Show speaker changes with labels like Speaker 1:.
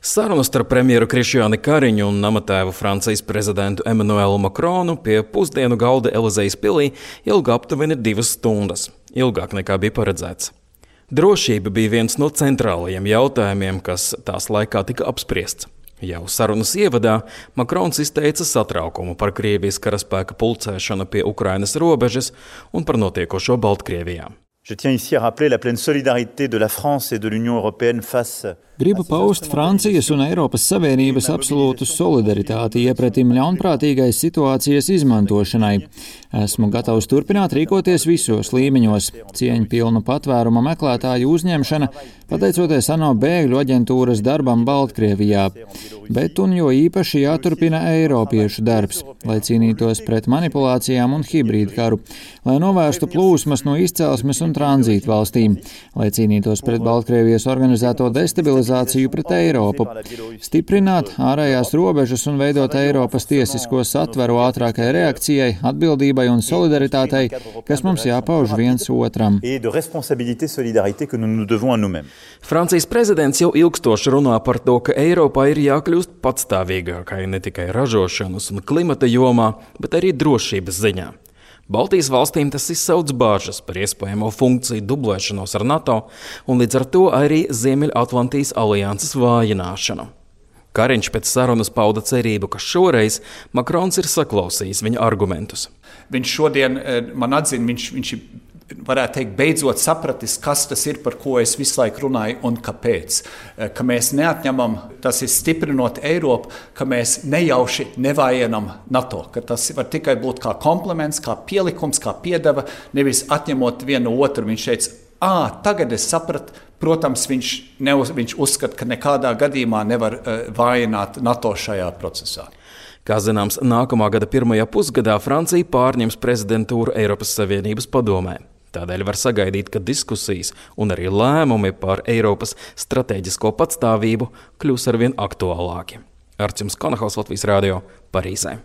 Speaker 1: Sarunu starp premjeru Krišjāni Kariņu un namatēvu Francijas prezidentu Emmanuelu Macronu pie pusdienu galda Elizejas pilī ilga aptuveni 2 stundas, ilgāk nekā bija paredzēts. Drošība bija viens no centrālajiem jautājumiem, kas tās laikā tika apspriests. Jau sarunas ievadā Makrons izteica satraukumu par Krievijas karaspēka pulcēšanu pie Ukrainas robežas un par notiekošo Baltkrievijā.
Speaker 2: Je tiens ici à rappeler la pleine solidarité de la France et de l'Union européenne face.
Speaker 3: Gribu paust Francijas un Eiropas Savienības absolūtu solidaritāti iepretim ļaunprātīgai situācijas izmantošanai. Esmu gatavs turpināt rīkoties visos līmeņos. Cieņpilnu patvēruma meklētāju uzņemšana, pateicoties ANO bēgļu aģentūras darbam Baltkrievijā. Bet un jo īpaši jāturpina eiropiešu darbs, lai cīnītos pret manipulācijām un hibrīdkaru, lai novērstu plūsmas no izcelsmes un tranzītu valstīm, lai cīnītos pret Baltkrievijas organizēto destabilizāciju pret Eiropu, stiprināt ārējās robežas un veidot Eiropas tiesisko satveru ātrākai reakcijai, atbildībai un solidaritātei, kas mums jāpauž viens otram.
Speaker 1: Francijas prezidents jau ilgstoši runā par to, ka Eiropā ir jākļūst patstāvīgākai ne tikai ražošanas un klimata jomā, bet arī drošības ziņā. Baltijas valstīm tas izsauc bāžas par iespējamo funkciju dublēšanos ar NATO un līdz ar to arī Ziemeļatlantijas alianses vājināšanu. Kariņš pēc sarunas pauda cerību, ka šoreiz Makrons ir saklausījis viņa argumentus.
Speaker 4: Viņš šodien man atzina, viņš varētu teikt, beidzot sapratis, kas tas ir, par ko es visu laiku runāju un kāpēc. Ka mēs neatņemam, tas ir stiprinot Eiropu, ka mēs nejauši nevājinam NATO, ka tas var tikai būt kā komplements, kā pielikums, kā piedeva, nevis atņemot vienu otru. Viņš teica, tagad es sapratu, protams, viņš uzskata, ka nekādā gadījumā nevar vājināt NATO šajā procesā.
Speaker 1: Kā zināms, nākamā gada pirmajā pusgadā Francija pārņems prezidentūru Eiropas Savienības padomē. Tādēļ var sagaidīt, ka diskusijas un arī lēmumi par Eiropas stratēģisko patstāvību kļūs arvien aktuālāki. Arčuns Konahals, Latvijas radio, Parīzē.